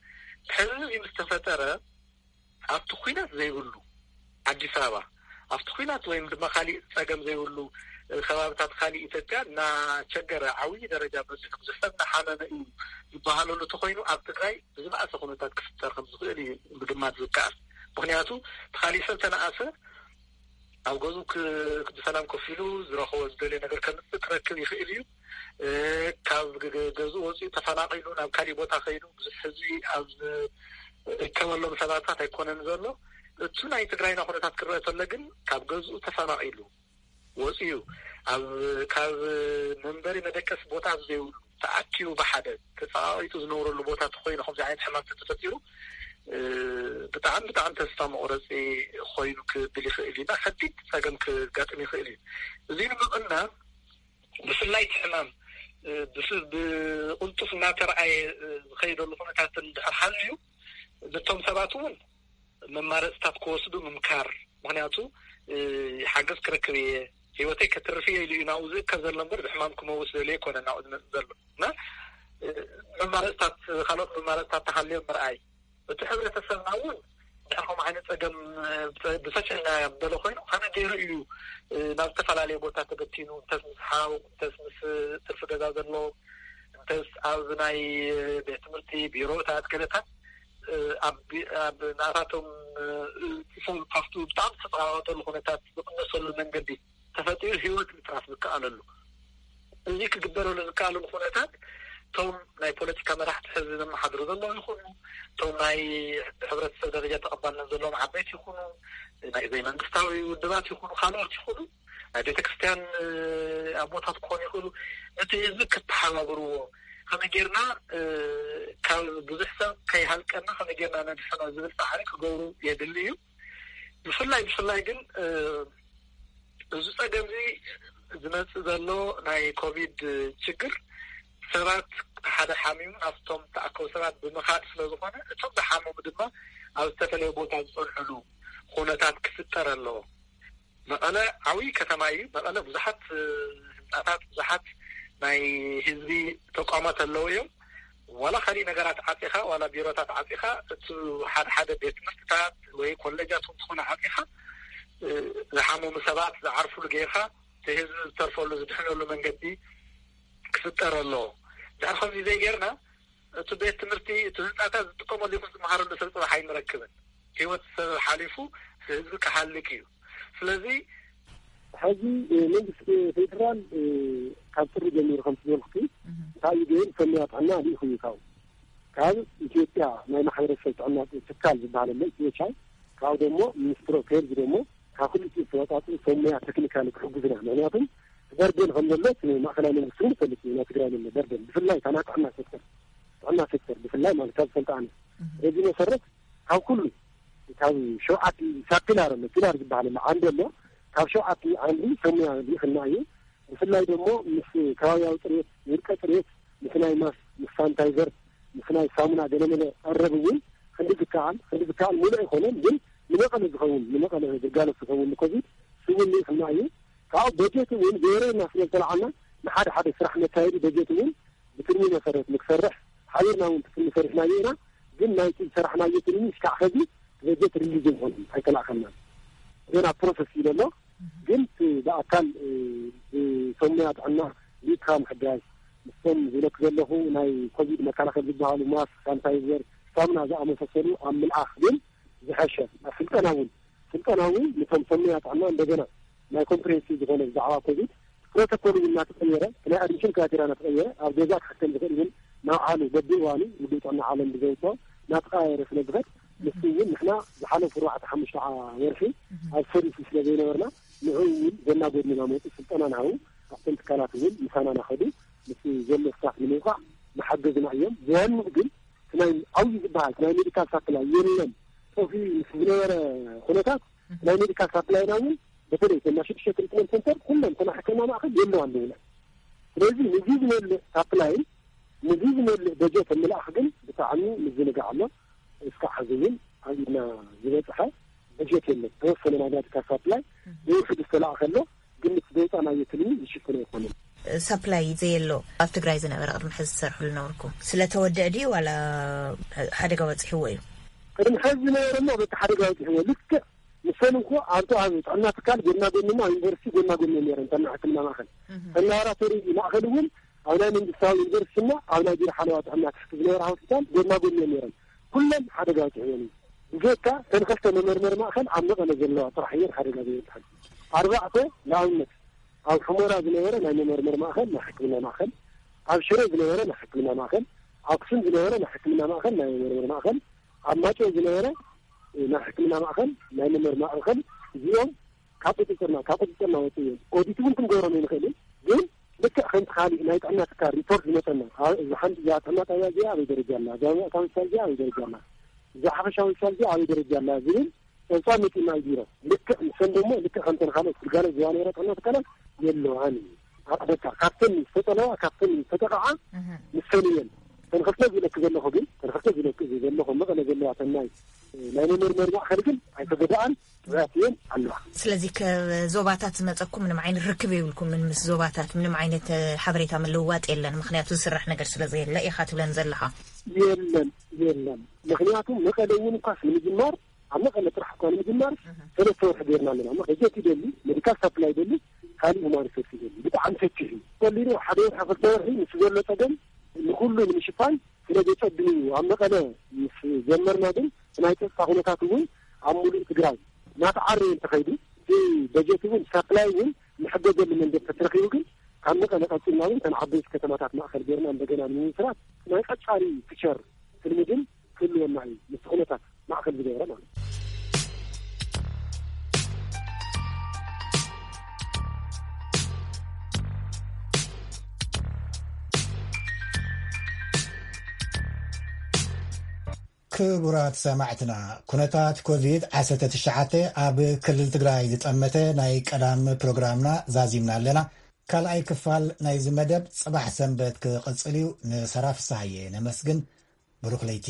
ሕዚ እዚ ምስ ተፈጠረ ኣብቲ ኲናት ዘይብሉ ኣዲስ ኣበባ ኣብቲ ኲናት ወይም ድማ ካሊእ ፀገም ዘይብሉ ከባብታት ካሊእ ኢትዮጵያ እናቸገረ ዓብዪ ደረጃ በፂሑ ብዙሕ ሰብ እናሓመመ እዩ ዝበሃለሉ ተኮይኑ ኣብ ትግራይ ብዝበኣሰ ኩነታት ክፍጠር ከም ዝኽእል እዩ ምግማት ዝከኣል። ምክንያቱ እቲ ካሊእ ሰብ ተነኣሰ ኣብ ገዝኡ ብሰላም ኮፍ ኢሉ ዝረኽቦ ዝደልዮ ነገር ከምፅእ ክረክብ ይኽእል እዩ። ካብ ገዝኡ ወፂኡ ተፈናቒሉ ናብ ካሊእ ቦታ ከይዱ ብዙሕ ህዝቢ ኣብ ዝርከበሎም ሰባታት ኣይኮነን ዘሎ። እቱ ናይ ትግራይና ኩነታት ክረአ ተሎ ግን ካብ ገዝኡ ተፈናቒሉ ወፂኡ ኣብ ካብ መንበሪ መደቀሲ ቦታ ዘይብሉ ተኣኪቡ ብሓደ ተፀቃቂጡ ዝነብረሉ ቦታ ተኮይኑ ከምዚ ዓይነት ሕማም ተተፈጢሩ ብጣዕሚ ብጣዕሚ ተስፋ መቁረፂ ኮይኑ ክብል ይኽእል እዩ። ከቢድ ፀገም ክጋጥም ይኽእል እዩ። እዚ ንምቕናብ ብፍላይ እቲ ሕማም ብቕልጡፍ እናተረኣየ ዝኸይደሉ ኩነታት እንድሕር ሃልዩ ነቶም ሰባት እውን መማረፅታት ክወስዱ ምምካር። ምክንያቱ ሓገዝ ክረክብ እየ፣ ህይወተይ ከትርፍ እየ ኢሉ እዩ ናብኡ ዝእከብ ዘሎ እምበር ብሕማም ክመውት ደልዮ ኣይኮነን ናብኡ ዝመፅእ ዘሎ እና መማረፅታት ካልኦት መማረፅታት ተሃልዮም ምርኣይ። እቲ ሕብረተሰብና እውን እንድሕር ከምኡ ዓይነት ፀገም ብሰፊሕ እናበለ ኮይኑ ከመይ ገይሩ እዩ ናብ ዝተፈላለየ ቦታ ተበቲኑ እንተስ ምስ ሓው እንተስ ምስ ትርፊ ገዛ ዘለዎም እንተስ ኣብ ናይ ቤት ትምህርቲ ቢሮታት ገለታት ኣብ ናታቶም ሰብ ካብቲ ብጣዕሚ ዝተፀቃቀጠሉ ኩነታት ዝቅነሰሉ መንገዲ ተፈጢሩ ህይወት ምትራፍ ዝከኣለሉ እዚ ክግበረሉ ዝከኣለሉ ኩነታት እቶም ናይ ፖለቲካ መራሕቲ ሕዚ ዘመሓድሩ ዘለዉ ይኹኑ እቶም ናይ ሕብረተሰብ ደረጃ ተቐባልነት ዘለዎም ዓበይቲ ይኹኑ ናይ ዘይመንግስታዊ ውድባት ይኹኑ ካልኦት ይኹኑ ናይ ቤተክርስትያን ኣቦታት ክኾኑ ይኽእሉ ነቲ ህዝቢ ከተሓባብርዎ ከመይ ጌርና ካብ ብዙሕ ሰብ ከይሃልቀና ከመይ ጌርና ነድሕኖ ዝብል ፃዕሪ ክገብሩ የድሊ እዩ። ብፍላይ ብፍላይ ግን እዚ ፀገም እዚ ዝመፅእ ዘሎ ናይ ኮቪድ ችግር ሰባት ሓደ ሓሚሙ ናብቶም ተኣከቡ ሰባት ብምኻድ ስለ ዝኾነ እቶም ዝሓመሙ ድማ ኣብ ዝተፈለየ ቦታ ዝፀንሕሉ ኩነታት ክፍጠር ኣለዎ። መቐለ ዓብዪ ከተማ እዩ። መቐለ ብዙሓት ህንፃታት ብዙሓት ናይ ህዝቢ ተቋማት ኣለዉ እዮም። ዋላ ካሊእ ነገራት ዓፂኻ ዋላ ቢሮታት ዓፂኻ እቲ ሓደ ሓደ ቤት ትምህርትታት ወይ ኮሌጃት እንትኾነ ዓፂኻ ዝሓመሙ ሰባት ዝዓርፉሉ ጌርካ እቲ ህዝቢ ዝተርፈሉ ዝድሕነሉ መንገዲ ክፍጠር ኣለዎ። ድሕር ከምዚ ዘይጌርና እቲ ቤት ትምህርቲ እቲ ህንፃታት ዝጥቀመሉ ይኹን ዝመሃረሉ ሰብ ፅባሕ ኣይንረክብን። ህይወት ሰብ ሓሊፉ ህዝቢ ክሃልክ እዩ። ስለዚ ሕዚ መንግስቲ ፌደራል ካብ ጥሪ ጀሚሩ ከም ዝበልኩ እንታይ እዩ ገይሩ? ሰሚያ ጥዕና ልኢኹ እዩ ካብኡ። ካብ ኢትዮጵያ ናይ ማሕበረሰብ ጥዕና ትካል ዝበሃል ኣሎ፣ ኢትዮ ቻይ፣ ካብኡ ደግሞ ሚኒስትሪ ኦፍ ሄልዝ ደግሞ ካብ ክልቲኡ ዝተወፃፅኡ ሰሙያ ቴክኒካሊ ክሕግዙና። ምክንያቱም በርደን ከም ዘሎ እቲ ማእከላይ መንግስቲ እውን ይፈልጥ እዩ። ናይ ትግራይ ዘሎ በርደን ብፍላይ እታ ናይ ጥዕና ሴክተር፣ ጥዕና ሴክተር ብፍላይ ማለት ካብ ዝፈልጣ ኣነ በዚ መሰረት ካብ ኩሉ ካብ ሸውዓተ ሳብ ፒላር ኣሎ፣ ፒላር ዝበሃል ኣሎ፣ ዓንዲ ኣሎ። ካብ ሸውዓተ ዓንዲ ሰሙያ ልኢኽና እዩ። ብፍላይ ደግሞ ምስ ከባቢያዊ ፅሬት፣ ውልቀ ፅሬት፣ ምስ ናይ ማስ፣ ምስ ሳኒታይዘር፣ ምስ ናይ ሳሙና ገለመለ ቀረብ እውን ክንዲ ዝከኣል፣ ክንዲ ዝከኣል ሙሉእ ኣይኮነን ግን ንመቐለ ዝኸውን፣ ንመቐለ ግልጋሎት ዝኸውን ንኮቪድ ስውን ልኢኽና እዩ። ካብኡ በጀት እውን ገይረና ስለ ዝተለዓልና ንሓደ ሓደ ስራሕ መካየዲ በጀት እውን ብትልሚ መሰረት ንክሰርሕ ሓቢርና እውን ትልሚ ሰሪሕናዮ ኢና። ግን ናይቲ ዝሰራሕናዮ ትልሚ እስካዕ ሕዚ በጀት ሪሊዝ ይኾን ኣይተላእኸናን። ገና ፕሮሰስ እዩ ዘሎ። ግን እቲ ብኣካል ብሰሙያ ጥዕና ሊትካ ምሕጋዝ ምስቶም ዝለክ ዘለኹ ናይ ኮቪድ መከላኸል ዝበሃሉ ማስክ፣ ሳኒታይዘር፣ ሳሙና ዝኣመሳሰሉ ኣብ ምልኣኽ ግን ዝሐሸ ኣብ ስልጠና እውን ስልጠና እውን ነቶም ሰሙያ ጥዕና እንደገና ናይ ኮምፕሬንሲቭ ዝኾነ ብዛዕባ ኮቪድ ፕሮቶኮል እውን እናተቐየረ፣ ናይ ኣድሚሽን ክራይቴሪያ እናተቐየረ፣ ኣብ ገዛ ክሕከም ዝኽእል እውን ናብ ዓሉ በብእዋኑ ውድብ ጥዕና ዓለም ብዘውፅኦ እናተቐያየረ ስለ ዝኸድ፣ ንሱ እውን ንሕና ዝሓለፉ ኣርባዕተ ሓሙሽተ ወርሒ ኣብ ሰርቪስ ስለ ዘይነበርና ንዑ እውን ጎና ጎድኒ እናመፁ ስልጠና እናሃቡ ኣብቶም ትካላት እውን ምሳና እናኸዱ ምስ ዘሎ ስታፍ ንምውቃዕ እናሓገዙና እዮም። ብዋንኡ ግን እቲ ናይ ዓብዪ ዝበሃል ናይ ሜዲካል ሳፕላይ የለን። ጠፊኡ ምስ ዝነበረ ኩነታት ናይ ሜዲካል ሳፕላይና እውን በተለይ እተን ናይ ሽዱሽተ ትሪትመንት ሰንተር ኩለን እተን ሕክምና ማእኸል የለዋን ንብለን። ስለዚ ንዚ ዝመልእ ሳፕላይን ንዚ ዝመልእ በጀት ምልኣኽ ግን ብጣዕሚ ምዝንጋዕ ኣሎ። እስካዕ ሕዚ እውን ኣብ ኢድና ዝበፅሐ በጀት የለን። ተወሰነ ናይ ሜዲካል ሳፕላይ ብውሕዱ ዝተለኣኸ ኣሎ። ግን እቲ ዘውፃእናዮ ትልሚ ዝሽፍን ኣይኮነን። ሳፕላይ ዘየሎ ኣብ ትግራይ ዝነበረ ቅድሚ ሕዚ ዝሰርሕሉ ነበርኩም ስለተወድአ ድዩ ዋላ ሓደጋ በፂሕዎ እዩ? ቅድሚ ሕዚ ዝነበረ እሞ በቲ ሓደጋ በፂሕዎ ልክዕ ንሰን እንኮ ኣብቲ ኣብ ጥዕና ትካል ጎና ጎንና ኣብ ዩኒቨርሲቲ ጎና ጎኒ ነይረን ተና ሕክምና ማእኸል እህም። ተና ላቦራቶሪ ማእኸል እውን ኣብ ናይ መንግስታዊ ዩኒቨርሲቲና ኣብ ናይ ቢሮ ሓለዋ ጥዕና ትሕቲ ዝነበራ ሆስፒታል ጎና ጎኒ ነይረን ኩለን ሓደጋ በፂሕወን እዩ። ብዘይካ እተን ክልተ መመርመሪ ማእኸል ኣብ መቐለ ዘለዋ ጥራሕ እየን ሓደጋ ዘይበፅሐን። ኣርባዕተ ንኣብነት ኣብ ሑመራ ዝነበረ ናይ መመርመሪ ማእኸል ናይ ሕክምና ማእኸል፣ ኣብ ሽረ ዝነበረ ናይ ሕክምና ማእኸል፣ ኣክሱም ዝነበረ ናይ ሕክምና ማእኸል ናይ መመርመሪ ማእኸል፣ ኣብ ማጨ ዝነበረ ናይ ሕክምና ማእኸል ናይ መመርመሪ ማእኸል እዚኦም ካብ ቁፅፅርና ካብ ቁፅፅርና ወፂ እዮም። ኦዲት እውን ክንገብሮም ኣይንኽእልን ግን ልክዕ ከምቲ ካሊእ ናይ ጥዕና ትካል ሪፖርት ዝመፀና እዚ ሓንቲ እዛ ጥዕና ጣብያ እዚኣ ኣበይ ደረጃ ኣላ፣ እዛ ማእታዊ ሆስፒታል እዚኣ ኣበይ ደረጃ ኣላ፣ እዛ ሓፈሻዊ ሆስፒታል እዚኣ ኣበይ ደረጃ ኣላ ዝብል ፀብፃብ መፂና እዩ ቢሮ። ልክዕ ንሰን ደሞ ልክዕ ከምተን ካልኦት ግልጋሎት ዝባ ነረ ጥዕና ትካላት የለዋን እዩ። ኣቕደካ ካብተን ዝተጠለዋ ካብተን ዝተጠቕዓ ንሰን እየን። ተንክፍተ ዝለክ ዘለኹ ግን ተንክፍተ ዝለክ ዘለኹ መቐለ ዘለዋ ተናይ ናይ መመርመሪ ማእኸል ግን ኣይተጎዳኣን። ጥዑያት እየን ኣለዋ። ስለዚ ከዞባታት ዝመፀኩም ምንም ዓይነት ርክብ የብልኩም? ምን ምስ ዞባታት ምንም ዓይነት ሓበሬታ ምልውዋጥ የለን ምክንያቱ ዝስራሕ ነገር ስለዘየለ ኢኻ ትብለን ዘለኻ? የለን የለን። ምክንያቱ መቐለ እውን እኳስ ንምጅማር ኣብ መቐለ ጥራሕ እኳ ንምጅማር ሰለስተ ወርሒ ገይርና ኣለና። በጀት ይደሊ፣ ሜዲካል ሳፕላይ ይደሊ፣ ካሊእ ሁማን ሪሶርስ ይደሊ። ብጣዕሚ ሰፊሕ እዩ። ቀሊሉ ሓደ ወርሒ ክልተ ወርሒ ምስ ዘሎ ፀገም ንኩሉ ንምሽፋን ስለ ዘፀግም እዩ። ኣብ መቐለ ምስ ጀመርና ግን ናይ ፀጥታ ኩነታት እውን ኣብ ሙሉእ ትግራይ እናተዓረየ እንተኸይዱ እቲ በጀት እውን ሳፕላይ እውን ንሕገዘሉ መንገዲ ተተረኪቡ ግን ካብ መቐለ ቀፂልና እውን እተን ዓበይቲ ከተማታት ማእኸል ገይርና እንደገና ንምምስራት ናይ ቀፃሊ ፊቸር ትልሚ ግን ክህልወና እዩ። ምስቲ ኩነታት ማእኸል ዝገበረ ማለት እዩ። ክቡራት ሰማዕትና፣ ኩነታት ኮቪድ ዓሰርተ ትሽዓተ ኣብ ክልል ትግራይ ዝጠመተ ናይ ቀዳም ፕሮግራምና ዛዚምና ኣለና። ካልኣይ ክፋል ናይዚ መደብ ጽባሕ ሰንበት ክቕጽል እዩ። ንሰራ ፍስሃየ ነመስግን። ብሩኽ ለይቲ።